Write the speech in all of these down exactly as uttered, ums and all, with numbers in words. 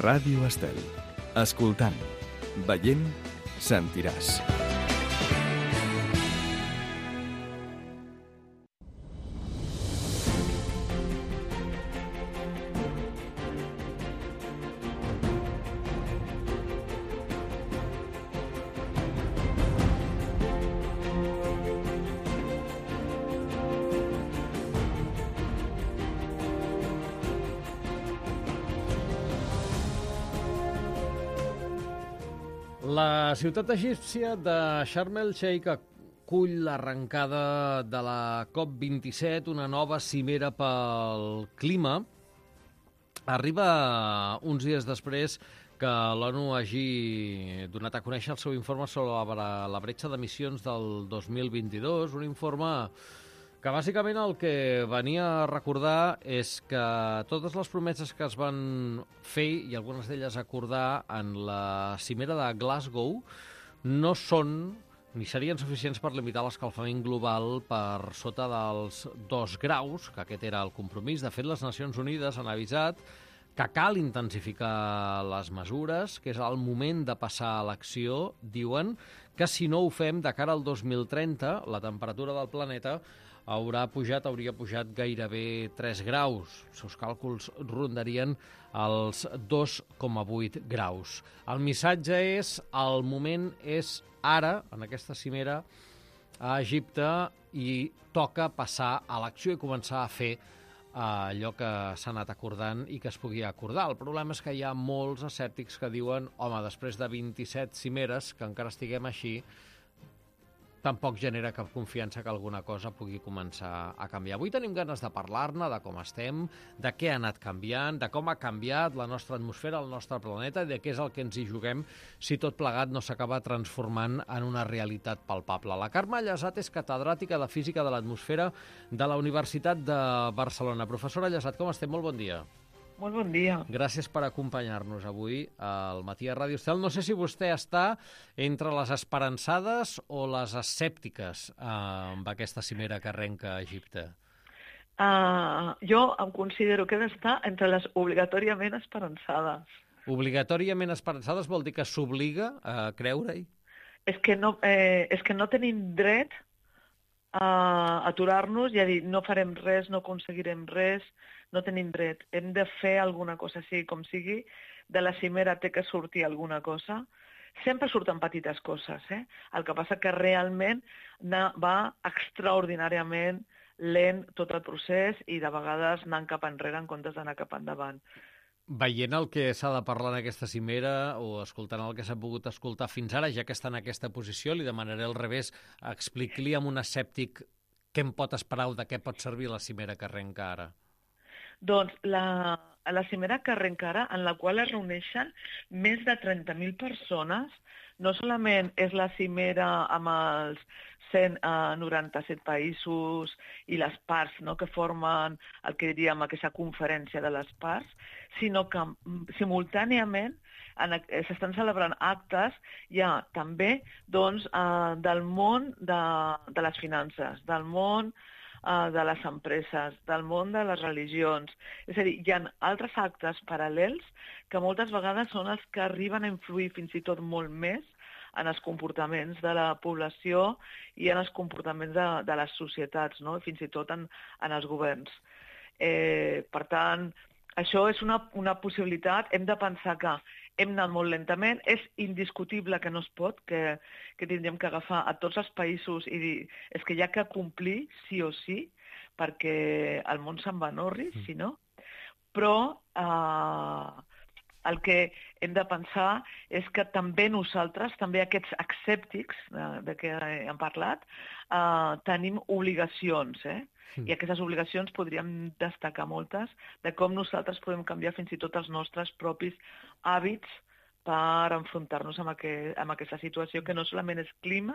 Ràdio Estel. Escoltant, veient, sentiràs. La ciutat egípcia de Sharm el-Sheikh acull l'arrencada de la COP vint-i-set, una nova cimera pel clima. Arriba uns dies després que l'ONU hagi donat a conèixer el seu informe sobre la, la bretxa d'emissions del dos mil vint-i-dos, un informe que bàsicament el que venia a recordar és que totes les promeses que es van fer, i algunes d'elles acordar en la cimera de Glasgow, no són ni serien suficients per limitar l'escalfament global per sota dels dos graus, que aquest era el compromís. De fet, les Nacions Unides han avisat que cal intensificar les mesures, que és el moment de passar a l'acció. Diuen que si no ho fem, de cara al dos mil trenta, la temperatura del planeta haurà pujat, hauria pujat gairebé tres graus. Els seus càlculs rondarien els dos coma vuit graus. El missatge és, el moment és ara, en aquesta cimera, a Egipte, i toca passar a l'acció i començar a fer allò que s'ha anat acordant i que es pugui acordar. El problema és que hi ha molts escèptics que diuen, home, després de vint-i-set cimeres, que encara estiguem així, tampoc genera cap confiança que alguna cosa pugui començar a canviar. Avui tenim ganes de parlar-ne, de com estem, de què ha anat canviant, de com ha canviat la nostra atmosfera, el nostre planeta, i de què és el que ens hi juguem si tot plegat no s'acaba transformant en una realitat palpable. La Carme Llesat és catedràtica de Física de l'Atmosfera de la Universitat de Barcelona. Professora Llesat, com estem? Molt bon dia. Molt bon dia. Gràcies per acompanyar-nos avui al matí a Ràdio Estel. No sé si vostè està entre les esperançades o les escèptiques eh, amb aquesta cimera que arrenca a Egipte. Uh, jo em considero que he d'estar entre les obligatòriament esperançades. Obligatòriament esperançades vol dir que s'obliga a creure-hi? És que no, eh, és que no tenim dret a aturar-nos i a dir no farem res, no aconseguirem res, no tenim dret. Hem de fer alguna cosa, sigui com sigui. De la cimera té que sortir alguna cosa. Sempre surten petites coses, eh? El que passa que realment va extraordinàriament lent tot el procés i de vegades anant cap enrere en comptes d'anar cap endavant. Veient el que s'ha de parlar en aquesta cimera o escoltant el que s'ha pogut escoltar fins ara, ja que està en aquesta posició, li demanaré al revés, expliqui-li a un escèptic què en pot esperar o de què pot servir la cimera que arrenca ara. Doncs la, la cimera que arrenca ara, en la qual es reuneixen més de trenta mil persones, no solament és la cimera amb els cent noranta-set països i les parts, no, que formen el que diríem aquesta conferència de les parts, sinó que simultàniament s'estan celebrant actes ja també doncs, eh, del món de, de les finances, del món eh, de les empreses, del món de les religions. És a dir, hi ha altres actes paral·lels que moltes vegades són els que arriben a influir fins i tot molt més en els comportaments de la població i en els comportaments de, de les societats, no? Fins i tot en, en els governs. Eh, per tant, això és una, una possibilitat. Hem de pensar que hem anat molt lentament. És indiscutible que no es pot, que, que tindríem que agafar a tots els països i dir és que hi ha que complir sí o sí, perquè el món se'n va en orris, si no. Però eh, el que hem de pensar és que també nosaltres, també aquests escèptics de, de què hem parlat, eh, tenim obligacions, eh? I aquestes obligacions podríem destacar moltes de com nosaltres podem canviar fins i tot els nostres propis hàbits per enfrontar-nos amb, aquest, amb aquesta situació que no solament és clima,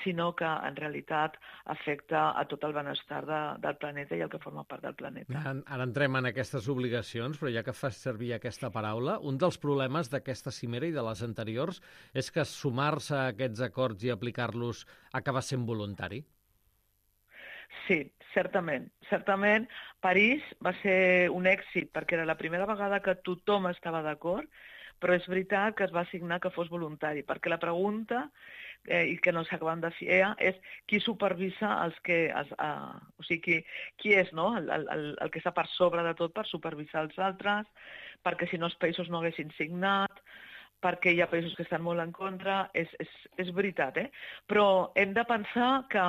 sinó que en realitat afecta a tot el benestar de, del planeta i el que forma part del planeta. Ara, ara entrem en aquestes obligacions, però ja que fas servir aquesta paraula, un dels problemes d'aquesta cimera i de les anteriors és que sumar-se a aquests acords i aplicar-los acaba sent voluntari. Sí, certament. Certament, París va ser un èxit perquè era la primera vegada que tothom estava d'acord, però és veritat que es va assignar que fos voluntari, perquè la pregunta, eh, i que no s'acaben de fer, és qui supervisa els que... Els, uh, o sigui, qui, qui és no? el, el, el que està per sobre de tot per supervisar els altres, perquè si no els països no haguessin signat, perquè hi ha països que estan molt en contra, és, és, és veritat, eh? Però hem de pensar que,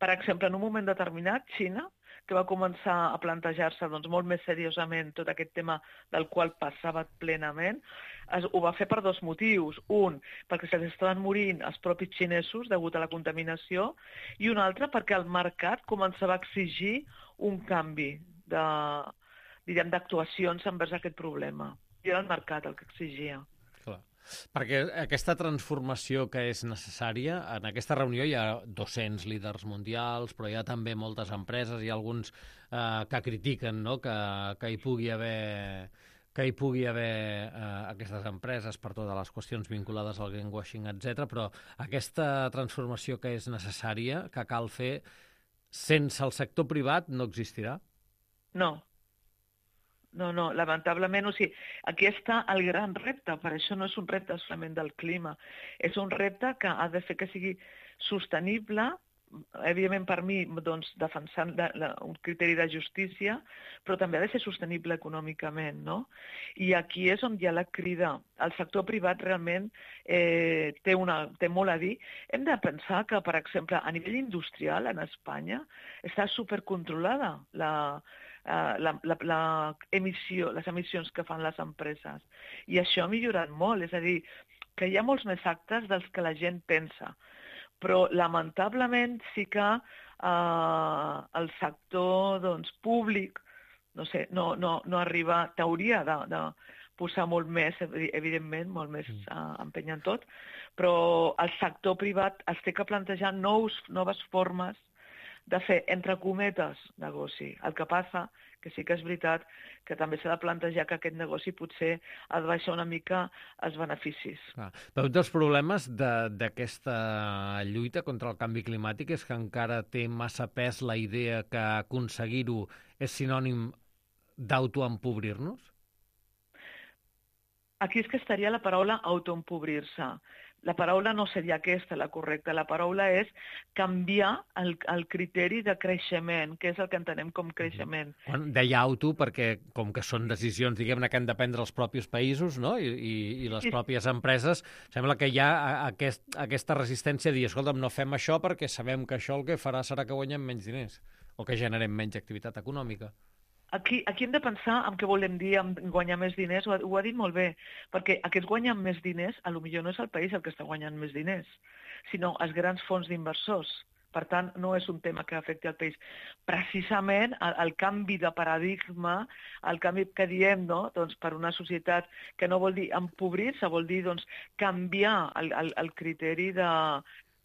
per exemple, en un moment determinat, Xina, que va començar a plantejar-se doncs, molt més seriosament tot aquest tema del qual passava plenament, es, ho va fer per dos motius. Un, perquè se'ls estaven morint els propis xinesos degut a la contaminació, i un altre perquè el mercat començava a exigir un canvi de, diguem, d'actuacions envers aquest problema. I era el mercat el que exigia. Clar. Perquè aquesta transformació que és necessària, en aquesta reunió hi ha dos-cents líders mundials, però hi ha també moltes empreses, hi ha alguns eh, que critiquen no? que, que hi pugui haver, que hi pugui haver eh, aquestes empreses per totes les qüestions vinculades al greenwashing, etcètera. Però aquesta transformació que és necessària, que cal fer, sense el sector privat no existirà? No. No, no, lamentablement, o sigui, aquí està el gran repte, per això no és un repte solament del clima, és un repte que ha de fer que sigui sostenible, evidentment per mi, doncs, defensant la, la, un criteri de justícia, però també ha de ser sostenible econòmicament, no? I aquí és on hi ha la crida. El sector privat realment eh, té, una, té molt a dir. Hem de pensar que, per exemple, a nivell industrial, en Espanya, està supercontrolada la Uh, la, la, la emissió, les emissions que fan les empreses. I això ha millorat molt, és a dir, que hi ha molts més actes dels que la gent pensa. Però, lamentablement, sí que uh, el sector doncs, públic no sé, no, no, no arriba, t'hauria de, de posar molt més, evidentment, molt més uh, empeny en tot, però el sector privat es té que plantejar nous, noves formes de fer, entre cometes, negoci. El que passa, que sí que és veritat, que també s'ha de plantejar que aquest negoci potser ha de baixar una mica els beneficis. Ah, però un dels problemes d'aquesta lluita contra el canvi climàtic és que encara té massa pes la idea que aconseguir-ho és sinònim d'autoempobrir-nos? Aquí és que estaria la paraula autoempobrir-se. La paraula no seria aquesta, la correcta. La paraula és canviar el, el criteri de creixement, que és el que entenem com creixement. Quan deia auto perquè, com que són decisions, diguem-ne, que han de prendre els propis països, no? I, i, i les Sí. pròpies empreses, sembla que hi ha aquest, aquesta resistència a dir, escolta'm, no fem això perquè sabem que això el que farà serà que guanyem menys diners o que generem menys activitat econòmica. Aquí, aquí hem de pensar en què volem dir amb guanyar més diners, ho ha, ho ha dit molt bé, perquè aquests guanyen més diners, a lo millor no és el país el que està guanyant més diners, sinó els grans fons d'inversors. Per tant, no és un tema que afecti el país. Precisament el, el canvi de paradigma, el canvi que diem, no? Doncs per una societat que no vol dir empobrir-se, vol dir doncs, canviar el, el, el criteri de,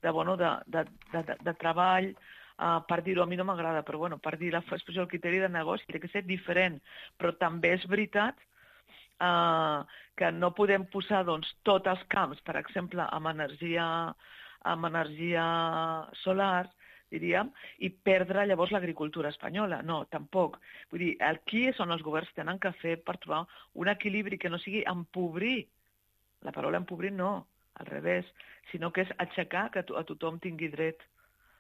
de, bueno, de, de, de, de, de treball, Uh, per dir-ho, a mi no m'agrada, però bueno, per dir l'expressió del criteri de negoci té que ser diferent. Però també és veritat uh, que no podem posar doncs, tots els camps, per exemple, amb energia, amb energia solar, diríem, i perdre llavors l'agricultura espanyola. No, tampoc. Vull dir, aquí és on els governs tenen que fer per trobar un equilibri que no sigui empobrir. La paraula empobrir no, al revés, sinó que és aixecar que a tothom tingui dret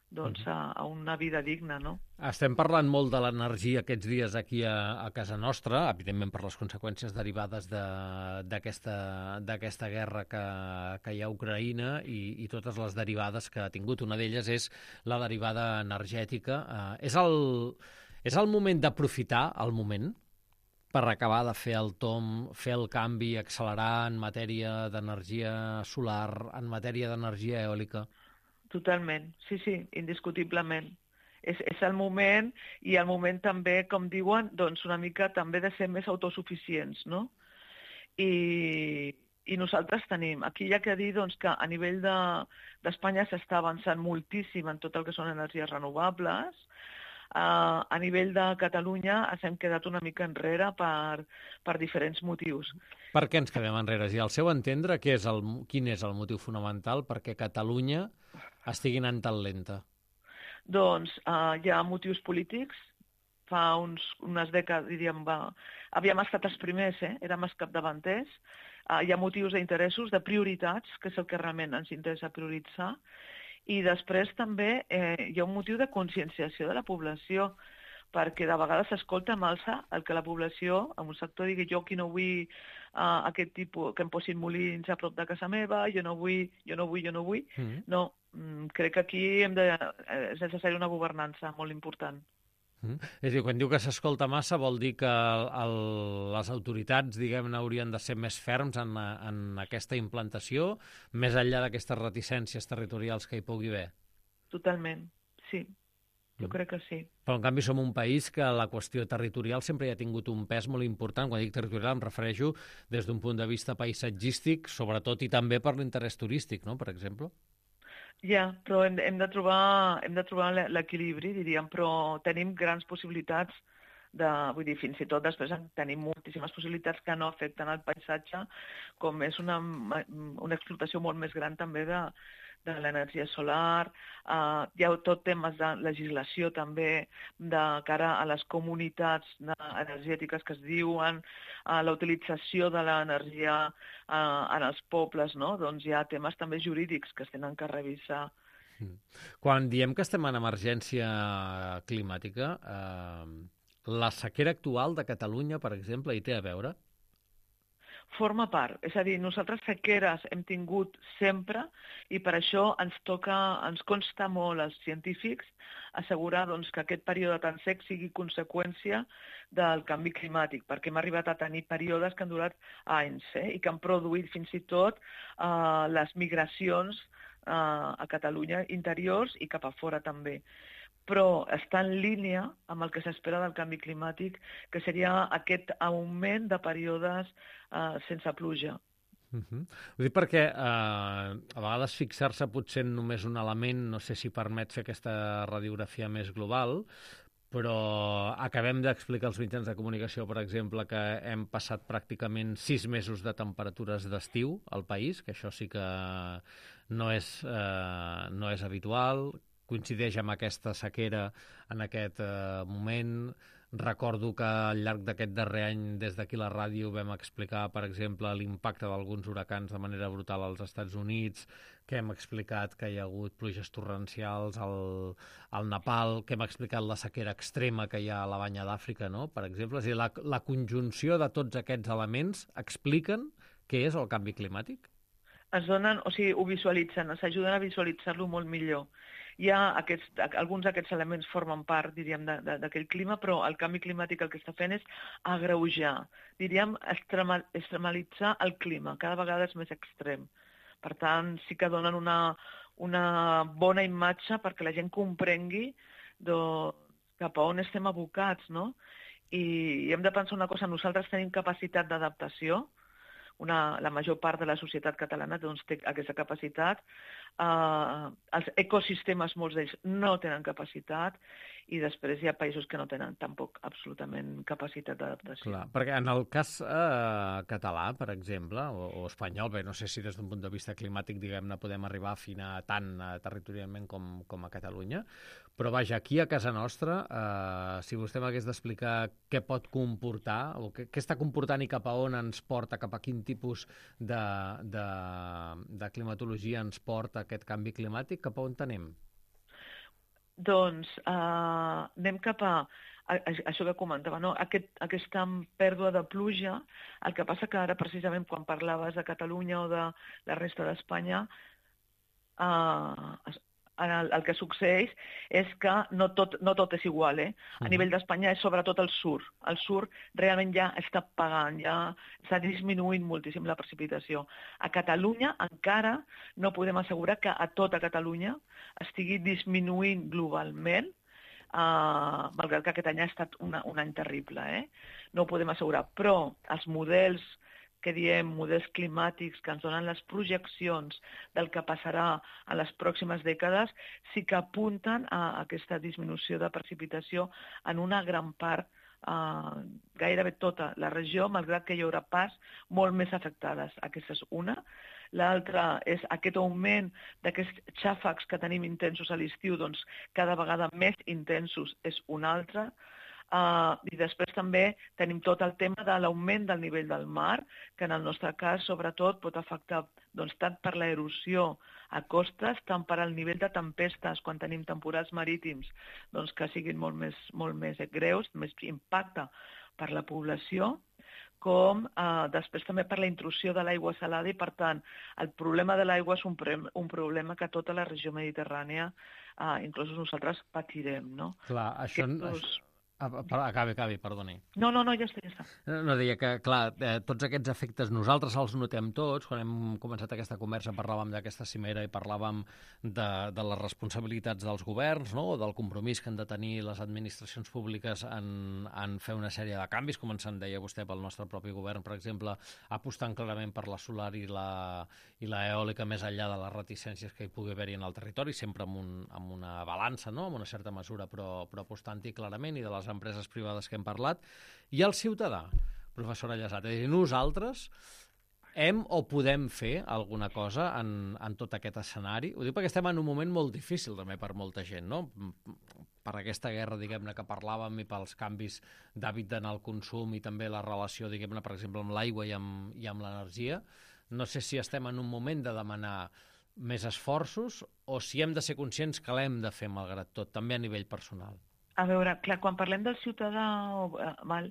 doncs, a, a una vida digna, no? Estem parlant molt de l'energia aquests dies aquí a, a casa nostra, evidentment per les conseqüències derivades d'aquesta guerra que, que hi ha a Ucraïna i, i totes les derivades que ha tingut. Una d'elles és la derivada energètica. Eh, és, el, és el moment d'aprofitar el moment per acabar de fer el tomb, fer el canvi, accelerar en matèria d'energia solar, en matèria d'energia eòlica? Totalment, sí, sí, indiscutiblement. És, és el moment, i el moment també, com diuen, doncs una mica també de ser més autosuficients, no? I, i nosaltres tenim, aquí hi ha que dir doncs, que a nivell d'Espanya de, s'està avançant moltíssim en tot el que són energies renovables. Uh, a nivell de Catalunya ens hem quedat una mica enrere per, per diferents motius. Per què ens quedem enrere? I al seu entendre, què és el, quin és el motiu fonamental perquè Catalunya estigui anant tan lenta? Doncs uh, hi ha motius polítics. Fa uns, unes dècades, diríem, va, havíem estat els primers, eh? Érem els capdavanters. Uh, hi ha motius d'interessos, de prioritats, que és el que realment ens interessa prioritzar. I després també eh, hi ha un motiu de conscienciació de la població, perquè de vegades s'escolta amb alça el que la població, en un sector, digui jo aquí no vull uh, aquest tipus, que em posin molins a prop de casa meva, jo no vull, jo no vull, jo no vull. Mm. No, mm, crec que aquí hem de, eh, és necessària una governança molt important. Mm. És a dir, quan diu que s'escolta massa vol dir que el, les autoritats, diguem-ne, haurien de ser més ferms en, en aquesta implantació, més enllà d'aquestes reticències territorials que hi pugui haver? Totalment, sí. Jo crec que sí. Però, en canvi, som un país que la qüestió territorial sempre hi ha tingut un pes molt important. Quan dic territorial em refereixo des d'un punt de vista paisatgístic, sobretot i també per l'interès turístic, no?, per exemple. Ja, però hem, hem de trobar, hem de trobar l'equilibri, diríem, però tenim grans possibilitats de, vull dir, fins i tot després tenim moltíssimes possibilitats que no afecten el paisatge, com és una, una explotació molt més gran també de, de l'energia solar, uh, hi ha tot temes de legislació també de cara a les comunitats energètiques que es diuen, uh, la utilització de l'energia uh, en els pobles, no? Doncs hi ha temes també jurídics que es tenen que revisar. Quan diem que estem en emergència climàtica, eh, la sequera actual de Catalunya, per exemple, hi té a veure? Forma part, és a dir, nosaltres sequeres hem tingut sempre i per això ens toca, ens consta molt als científics assegurar doncs, que aquest període tan sec sigui conseqüència del canvi climàtic, perquè hem arribat a tenir períodes que han durat anys eh, i que han produït fins i tot eh, les migracions eh, a Catalunya interiors i cap a fora també. Però està en línia amb el que s'espera del canvi climàtic, que seria aquest augment de períodes eh, sense pluja. Uh-huh. Ho dic perquè eh, a vegades fixar-se potser en només un element, no sé si permet fer aquesta radiografia més global, però acabem d'explicar als mitjans de comunicació, per exemple, que hem passat pràcticament sis mesos de temperatures d'estiu al país, que això sí que no és, eh, no és habitual, coincideix amb aquesta sequera en aquest eh, moment. Recordo que al llarg d'aquest darrer any, des d'aquí la ràdio, vam explicar, per exemple, l'impacte d'alguns huracans de manera brutal als Estats Units, que hem explicat que hi ha hagut pluges torrencials al, al Nepal, que hem explicat la sequera extrema que hi ha a la Banya d'Àfrica, no?, per exemple. És a dir, la, la conjunció de tots aquests elements expliquen què és el canvi climàtic? Es donen, o sigui, ho visualitzen, s'ajuden a visualitzar-lo molt millor. Hi ha aquests, alguns d'aquests elements formen part, diríem, d'aquell clima, però el canvi climàtic el que està fent és agreujar, diríem, extrema, extremalitzar el clima, cada vegada és més extrem. Per tant, sí que donen una, una bona imatge perquè la gent comprengui doncs, cap a on estem abocats, no? I, i hem de pensar una cosa, nosaltres tenim capacitat d'adaptació, Una, la major part de la societat catalana doncs, té aquesta capacitat. Uh, els ecosistemes, molts d'ells, no tenen capacitat i després hi ha països que no tenen tampoc absolutament capacitat d'adaptació. Clar, perquè en el cas eh, català, per exemple, o, o espanyol, bé, no sé si des d'un punt de vista climàtic, diguem-ne, podem arribar a afinar tant eh, territorialment com, com a Catalunya, però vaja, aquí a casa nostra, eh, si vostè m'hagués d'explicar què pot comportar, o què, què està comportant i cap a on ens porta, cap a quin tipus de, de, de climatologia ens porta aquest canvi climàtic, cap a on anem? Doncs eh, anem cap a, a, a això que comentava, no? Aquest, aquesta pèrdua de pluja. El que passa que ara, precisament, quan parlaves de Catalunya o de la resta d'Espanya, eh, el, el que succeeix és que no tot, no tot és igual. Eh? A nivell d'Espanya és sobretot el sur. El sur realment ja està pagant, ja està disminuint moltíssim la precipitació. A Catalunya encara no podem assegurar que a tota Catalunya estigui disminuint globalment, eh, malgrat que aquest any ha estat una, un any terrible. Eh? No ho podem assegurar, però els models que diem models climàtics que ens donen les projeccions del que passarà a les pròximes dècades sí que apunten a aquesta disminució de precipitació en una gran part uh, gairebé tota la regió, malgrat que hi haurà parts molt més afectades. Aquesta és una. L'altra és aquest augment d'aquests xàfecs que tenim intensos a l'estiu, doncs cada vegada més intensos és una altra. Uh, I després també tenim tot el tema de l'augment del nivell del mar, que en el nostre cas, sobretot, pot afectar doncs, tant per l'erosió a costes, tant per al nivell de tempestes, quan tenim temporals marítims, doncs, que siguin molt més, molt més greus, més impacte per la població, com eh, després també per la intrusió de l'aigua salada i, per tant, el problema de l'aigua és un, un problema que tota la regió mediterrània, eh, inclús nosaltres, patirem, no? Clar, això... Aquests... Acabi, acabi, perdoni. No, no, no, ja està, ja està. No, deia que, clar, eh, tots aquests efectes nosaltres els notem tots. Quan hem començat aquesta conversa parlàvem d'aquesta cimera i parlàvem de, de les responsabilitats dels governs, no?, o del compromís que han de tenir les administracions públiques en, en fer una sèrie de canvis, com ens en deia vostè pel nostre propi govern, per exemple, apostant clarament per la solar i la, i la eòlica més enllà de les reticències que hi pugui haver-hi en el territori, sempre amb, un, amb una balança, no?, amb una certa mesura, però, però apostant-hi clarament, i de les empreses privades que hem parlat, i el ciutadà, professora Llesat. És a dir, nosaltres hem o podem fer alguna cosa en, en tot aquest escenari? Ho dic perquè estem en un moment molt difícil també per molta gent, no? Per aquesta guerra, diguem-ne, que parlàvem, i pels canvis d'hàbit en el consum, i també la relació, diguem-ne, per exemple, amb l'aigua i amb, i amb l'energia. No sé si estem en un moment de demanar més esforços o si hem de ser conscients que l'hem de fer malgrat tot, també a nivell personal. A veure, clar, quan parlem del ciutadà o, mal,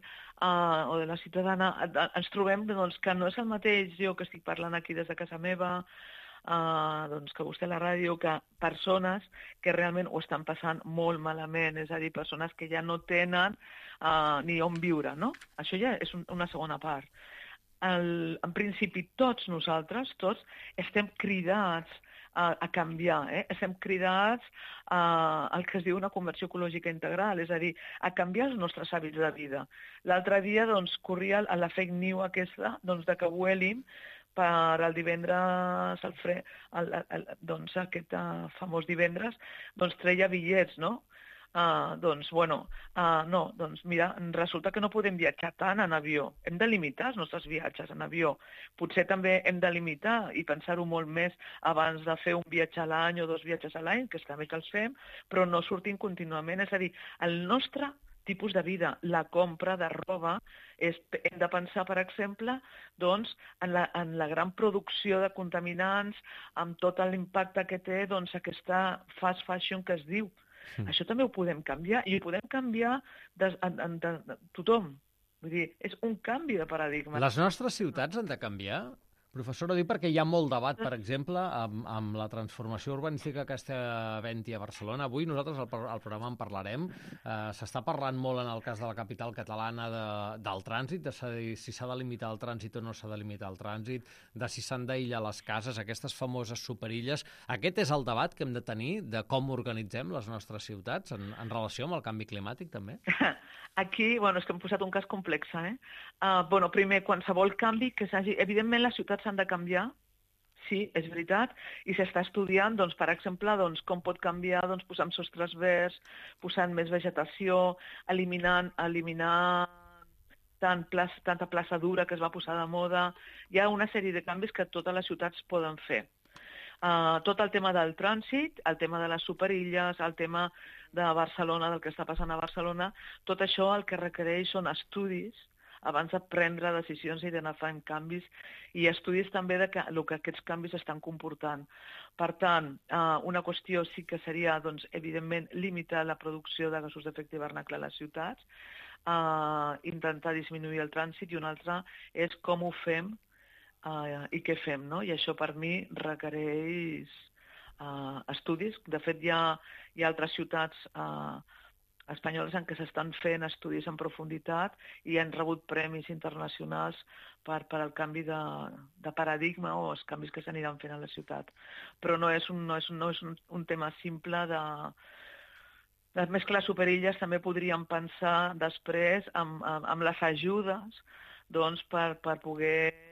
uh, o de la ciutadana, ens trobem doncs, que no és el mateix jo que estic parlant aquí des de casa meva, uh, doncs, que vostè a la ràdio, que persones que realment ho estan passant molt malament, és a dir, persones que ja no tenen uh, ni on viure, no? Això ja és un, una segona part. El, en principi, tots nosaltres, tots, estem cridats a, a canviar, eh? Estem cridats a, al que es diu una conversió ecològica integral, és a dir, a canviar els nostres hàbits de vida. L'altre dia doncs, corria la fake news aquesta doncs, de que Vueling per el divendres, el fre, el, el, el, doncs aquest uh, famós divendres, doncs treia bitllets, no? Uh, doncs, bueno, uh, no, doncs mira, resulta que no podem viatjar tant en avió. Hem de limitar els nostres viatges en avió. Potser també hem de limitar i pensar-ho molt més abans de fer un viatge a l'any o dos viatges a l'any, que està bé que els fem, però no sortim contínuament. És a dir, el nostre tipus de vida, la compra de roba, és, hem de pensar, per exemple, doncs, en, la, en la gran producció de contaminants, amb tot l'impacte que té doncs, aquesta fast fashion que es diu. Mm. Això també ho podem canviar, i ho podem canviar de, de, de, de, de tothom. Vull dir, és un canvi de paradigma. Les nostres ciutats han de canviar? Professora, dic perquè hi ha molt debat, per exemple, amb, amb la transformació urbanística que està havent-hi a Barcelona. Avui nosaltres al, al programa en parlarem. Eh, S'està parlant molt en el cas de la capital catalana de, del trànsit, de si s'ha de limitar el trànsit o no s'ha de limitar el trànsit, de si s'han d'aïllar les cases, aquestes famoses superilles. Aquest és el debat que hem de tenir de com organitzem les nostres ciutats en, en relació amb el canvi climàtic, també? Aquí, bueno, és que hem posat un cas complex, eh? Uh, bueno, primer, qualsevol canvi que s'hagi... Evidentment, les ciutats s'han de canviar, sí, és veritat, i s'està estudiant, doncs, per exemple, doncs, com pot canviar doncs, posant sostres verds, posant més vegetació, eliminant, eliminar tant plaça, tanta plaça dura que es va posar de moda. Hi ha una sèrie de canvis que totes les ciutats poden fer. Uh, tot el tema del trànsit, el tema de les superilles, el tema de Barcelona, del que està passant a Barcelona, tot això el que requereix són estudis abans de prendre decisions i d'anar fent canvis, i estudis també de que, el que aquests canvis estan comportant. Per tant, uh, una qüestió sí que seria, doncs, evidentment, limitar la producció de gasos d'efecte hivernacle a les ciutats, uh, intentar disminuir el trànsit, i una altra és com ho fem Uh, i què fem, no? I això per mi requereix uh, estudis. De fet, hi ha, hi ha altres ciutats uh, espanyoles en què s'estan fent estudis en profunditat i han rebut premis internacionals per, per al canvi de, de paradigma o els canvis que s'aniran fent a la ciutat. Però no és un, no és un, no és un, un tema simple de... de... Més que les superilles també podríem pensar després amb, amb, amb les ajudes doncs, per, per poder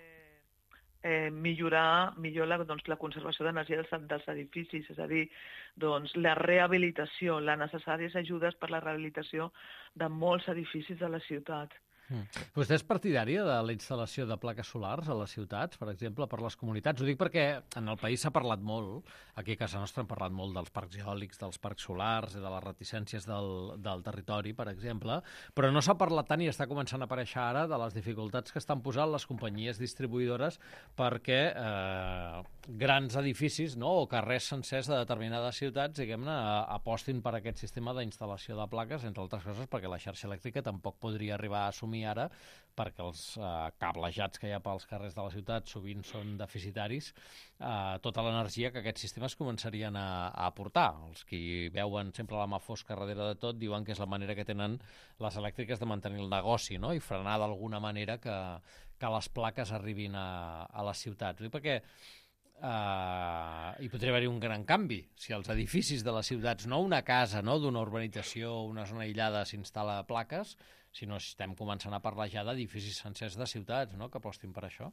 eh, millorar millor la, doncs, la conservació d'energia dels, dels edificis, és a dir, doncs, la rehabilitació, les necessàries ajudes per la rehabilitació de molts edificis de la ciutat. Mm. Vostè és partidària de la instal·lació de plaques solars a les ciutats, per exemple, per les comunitats? Ho dic perquè en el país s'ha parlat molt, aquí a casa nostra hem parlat molt dels parcs eòlics, dels parcs solars, de les reticències del, del territori, per exemple, però no s'ha parlat tant i està començant a aparèixer ara de les dificultats que estan posant les companyies distribuïdores perquè eh, grans edificis, no?, o carrers sencers de determinades ciutats, diguem-ne, apostin per aquest sistema d'instal·lació de plaques, entre altres coses perquè la xarxa elèctrica tampoc podria arribar a assumir ara, perquè els eh, cablejats que hi ha pels carrers de la ciutat sovint són deficitaris, eh, tota l'energia que aquests sistemes començarien a, a aportar. Els que veuen sempre la mà fosca darrere de tot diuen que és la manera que tenen les elèctriques de mantenir el negoci, no?, i frenar d'alguna manera que, que les plaques arribin a, a les ciutats. Perquè Uh, hi podria haver-hi un gran canvi si els edificis de les ciutats, no una casa, no, d'una urbanització, una zona aïllada s'instal·la plaques, sinó si estem començant a parlar ja d'edificis sencers de ciutats, no?, que apostin per això.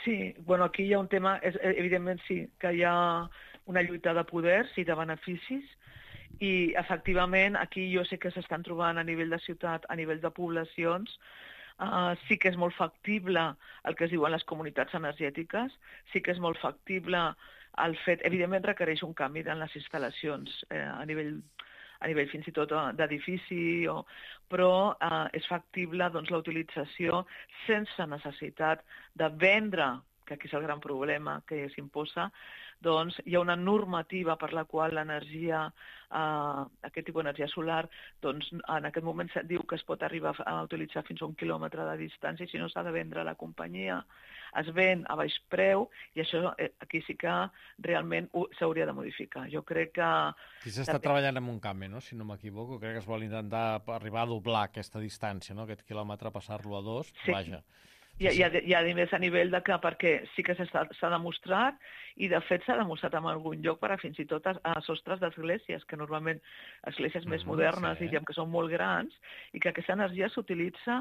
Sí, bueno, aquí hi ha un tema, és, evidentment sí, que hi ha una lluita de poders i de beneficis, i efectivament aquí jo sé que s'estan trobant a nivell de ciutat, a nivell de poblacions. Uh, sí que és molt factible el que es diuen les comunitats energètiques, sí que és molt factible el fet, evidentment requereix un canvi en les instal·lacions eh, a nivell a nivell fins i tot d'edifici, o... però eh, és factible doncs, la utilització sense necessitat de vendre, que aquí és el gran problema que s'imposa, doncs hi ha una normativa per la qual l'energia, eh, aquest tipus d'energia solar, doncs en aquest moment se't diu que es pot arribar a utilitzar fins a un quilòmetre de distància, si no s'ha de vendre a la companyia, es ven a baix preu, i això eh, aquí sí que realment s'hauria de modificar. Jo crec que... Aquí s'està també treballant en un canvi, no?, si no m'equivoco, crec que es vol intentar arribar a doblar aquesta distància, no?, aquest quilòmetre, passar-lo a dos, sí. Vaja. Hi ha, hi, ha, hi ha més a nivell de que, perquè sí que s'ha demostrat, i de fet s'ha demostrat en algun lloc per a fins i tot a, a sostres d'esglésies, que normalment esglésies més mm, modernes, sí. diríem que són molt grans, i que aquesta energia s'utilitza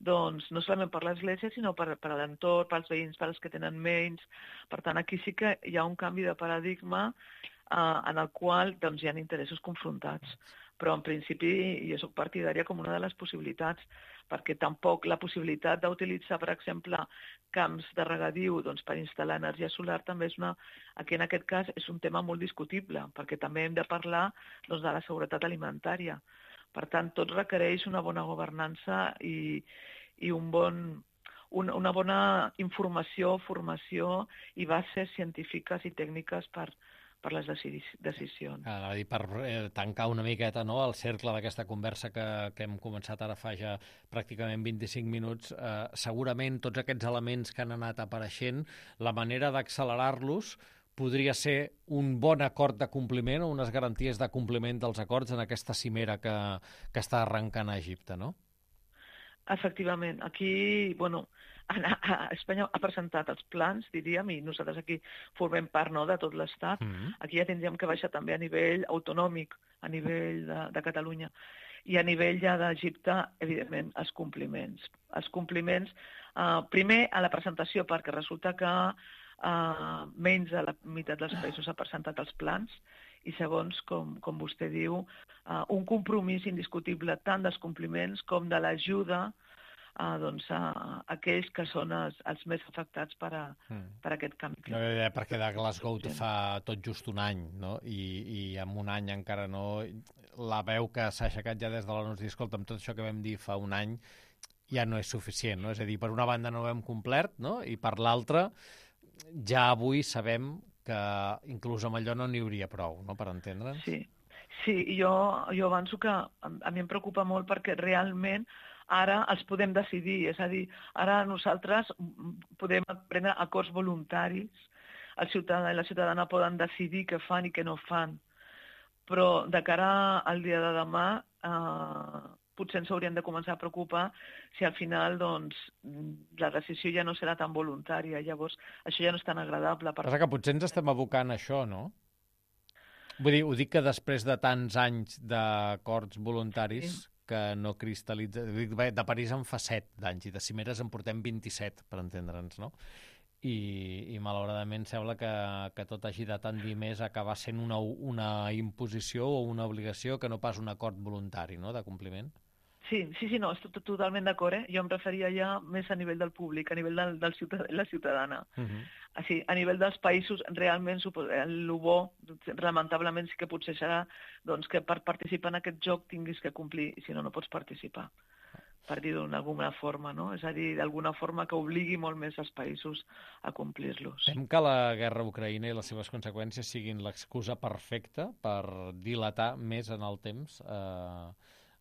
doncs, no solament per l'església, sinó per, per a l'entorn, pels veïns, per als que tenen menys. Per tant, aquí sí que hi ha un canvi de paradigma eh, en el qual doncs, hi ha interessos confrontats. Però en principi jo soc partidària com una de les possibilitats, perquè tampoc la possibilitat d'utilitzar, per exemple, camps de regadiu doncs, per instal·lar energia solar també és una, aquí en aquest cas és un tema molt discutible, perquè també hem de parlar doncs, de la seguretat alimentària. Per tant, tot requereix una bona governança i, i un bon, un, una bona informació, formació i bases científiques i tècniques per per les decisions. Ah, dir, per eh, tancar una miqueta, no?, el cercle d'aquesta conversa que, que hem començat ara fa ja pràcticament vint-i-cinc minuts, eh, segurament tots aquests elements que han anat apareixent, la manera d'accelerar-los podria ser un bon acord de compliment o unes garanties de compliment dels acords en aquesta cimera que, que està arrencant a Egipte, no? Efectivament. Aquí, bueno, Espanya ha presentat els plans, diríem, i nosaltres aquí formem part, no?, de tot l'Estat. Mm-hmm. Aquí ja tindríem que baixar també a nivell autonòmic, a nivell de, de Catalunya. I a nivell ja d'Egipte, evidentment, els compliments. Els compliments, eh, primer a la presentació, perquè resulta que eh, menys de la meitat dels països ha presentat els plans, i segons, com, com vostè diu, eh, un compromís indiscutible tant dels compliments com de l'ajuda Uh, doncs, uh, aquells que són els, els més afectats per, a, mm. per aquest canvi climàtic. No, ja, perquè de Glasgow sí. fa tot just un any, no? I, i en un any encara no... La veu que s'ha aixecat ja des de l'O N U és dir, escolta, amb tot això que vam dir fa un any ja no és suficient, no? És a dir, per una banda no ho hem complert, no? I per l'altra ja avui sabem que inclús amb allò no n'hi hauria prou, no?, per entendre'ns. Sí, sí, i jo, jo avanço que a, a mi em preocupa molt perquè realment ara els podem decidir, és a dir, ara nosaltres podem prendre acords voluntaris, el ciutadà i la ciutadana poden decidir què fan i què no fan, però de cara al dia de demà eh, potser ens hauríem de començar a preocupar si al final doncs, la decisió ja no serà tan voluntària, llavors això ja no és tan agradable. Per... Passa que potser ens estem abocant a això, no? Vull dir, ho dic que després de tants anys d'acords voluntaris... Sí. que no cristal·litza... De París en fa set d'anys i de cimeres en portem vint-i-set, per entendre'ns, no? i, i malauradament sembla que, que tot hagi de tendir més a acabar sent una, una imposició o una obligació que no pas un acord voluntari, no?, de compliment. Sí, sí, sí, no, estic totalment d'acord, eh? Jo em referia ja més a nivell del públic, a nivell del, del ciutadà, la ciutadana. Uh-huh. Així, a nivell dels països, realment, el bo, lamentablement, sí que potser serà doncs, que per participar en aquest joc tinguis que complir, i si no, no pots participar, per dir-ho d'alguna forma, no? És a dir, d'alguna forma que obligui molt més els països a complir-los. Tem que la guerra a Ucraïna i les seves conseqüències siguin l'excusa perfecta per dilatar més en el temps eh,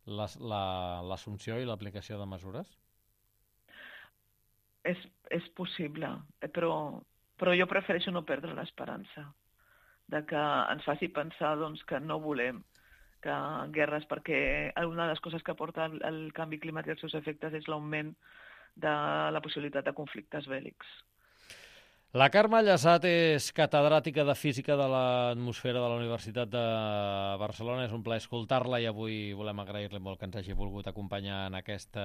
l'assumpció i l'aplicació de mesures? És, és possible, però, però jo prefereixo no perdre l'esperança de que ens faci pensar doncs, que no volem que guerres, perquè una de les coses que porta el, el canvi climàtic i els seus efectes és l'augment de la possibilitat de conflictes bèl·lics. La Carme Llassat és catedràtica de Física de l'Atmosfera de la Universitat de Barcelona. És un plaer escoltar-la i avui volem agrair-li molt que ens hagi volgut acompanyar en aquest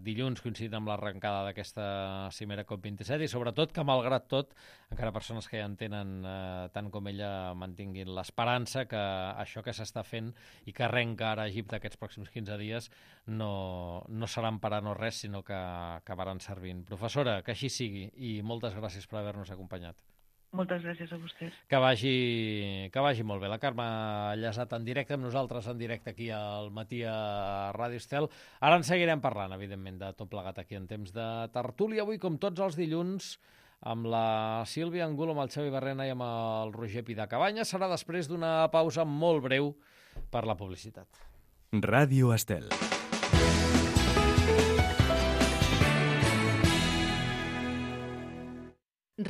dilluns, coincidint amb l'arrencada d'aquesta cimera COP vint-i-set i sobretot que, malgrat tot, encara persones que ja en tenen eh, tant com ella mantinguin l'esperança que això que s'està fent i que arrenca ara a Egipte aquests pròxims quinze dies no, no seran per a no res, sinó que acabaran servint. Professora, que així sigui i moltes gràcies per haver-nos acompanyat. Moltes gràcies a vostès. Que vagi, que vagi molt bé. La Carme Llassat en directe amb nosaltres, en directe aquí al matí a Ràdio Estel. Ara en seguirem parlant, evidentment, de tot plegat aquí en temps de tertúlia. Avui, com tots els dilluns, amb la Sílvia Angulo, amb el Xavi Barrena i amb el Roger Pidacabanya. Serà després d'una pausa molt breu per la publicitat. Ràdio Estel.